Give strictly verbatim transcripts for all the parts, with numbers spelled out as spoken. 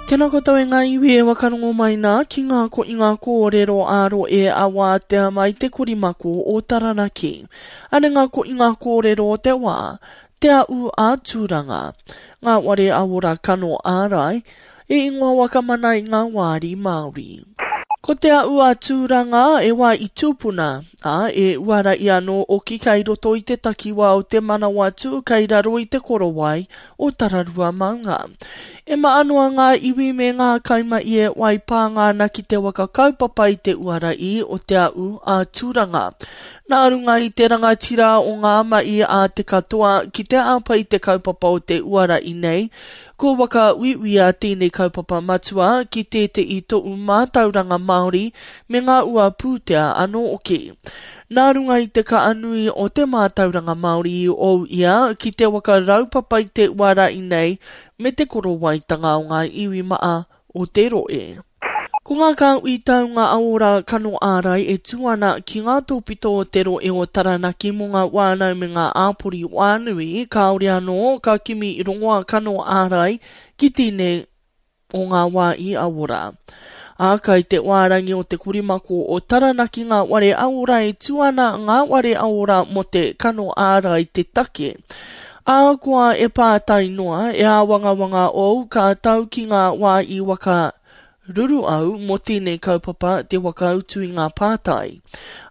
Tēnā koutou e ngā iwi e wakarongo mai nā ki ngā ko i ngā kōrero ā-roe a wātea mai te korimako o Taranaki. Ane ngā ko i ngā kōrero o te wā, te au a Tūranga. Ngā ware awora kano ārai, e ingoa wakamana i ngā wāri Māori. Ko te au a Tūranga e wā i tūpuna, ā, e uara i anō oki kai roto i te takiwā o te manawa tū kai raro i te korowai o Tararua maunga. E maa noa ngā iwi me ngā kaima i e wai pānga ana ki te waka kaupapa i te uara i o te au a Tūranga. Nā runga i te rangatira o ngā mai a te katoa ki te āpa i te kaupapa o te uara i nei, ko waka uiuia tēnei kaupapa matua ki tētehi tohu mātauranga Māori me ngā ua pūtea anō oki. Nā runga i te kaanui o te mātauranga Māori i ou ia ki te waka raupapa i te uara i nei me te korowaitanga o ngā iwi maa o te roe. Ko ngā kāhui taunga aora kano ārai e tū ana ki ngā tōpito o te roe o Taranaki mō ngā wānau me ngā āpori wānui, kāore anō ka kimi rongoa kano ārai ki tēnei o ngā wā i awora. Ā, kai te wārangi o te korimako o Taranaki ngā ware aora e tū ana ngā ware aora mō te kano ārai te take. Ā, koa e pātai noa, e āwangawanga ou ka tau ki ngā wā i waka ruru au mō tēnei kaupapa te wakautu i ngā pātai.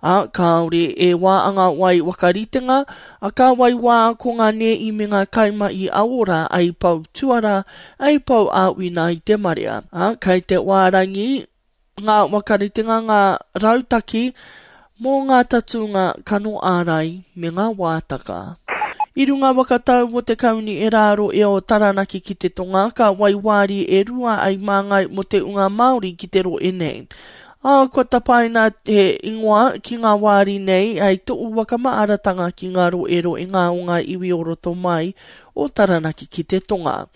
Ā, kāore e wāanga wai wakaritenga, a ka wai wā ko ngā nei me ngā kaima i aora ai pau tuara, ai pau āwina i te marea. Ā, kai te wārangi ngā wakaritenga ngā rautaki mō ngā tatūnga kano ārai me ngā wātaka. I runga wakatau o te kauni e rāro e o Taranaki ki te tonga, ka waiwāri e rua ai māngai mō te unga Māori ki te roe nei. Ā, kua tapaina he ingoa ki ngā wāri nei hei tohu wakamaaratanga ki ngā roe roe ngā o ngā iwi o roto mai o Taranaki ki te tonga.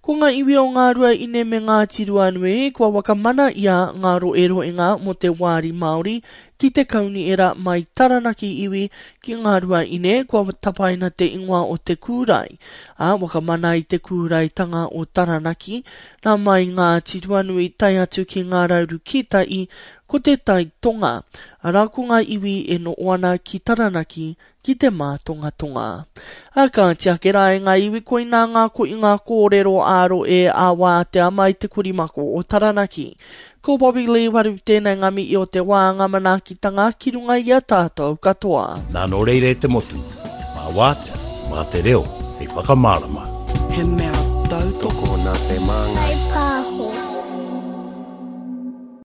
Ko ngā iwi o Ngā Rua Ine me Ngāti Ruanui, kua wakamana ia ngā roe roe ngā mō te wāri Māori ki te kauniera mai Taranaki iwi ki Ngā Rua Ine, kua tapaina te ingoa o te kūrai. Ā, wakamana i te kūraitanga o Taranaki, nā mai Ngāti Ruanui tae atu ki Ngā Rauru Kītai, ko te Tai Tonga. Arā ko ngā iwi e noho ana ki Taranaki ki te mātongatonga. A ka tiake rā e ngā iwi koinā ngā ko i ngā kōrero āro e a wātea mai te korimako o Taranaki. Ko Bobby Lee waru tēnei ngā mihi o te wā ngā manaakitanga ki runga i a tātou katoa. Nā nō reira e te motu, mā wātea, mā te reo, hei whakamārama. He mea tautoko Tokona te māngai.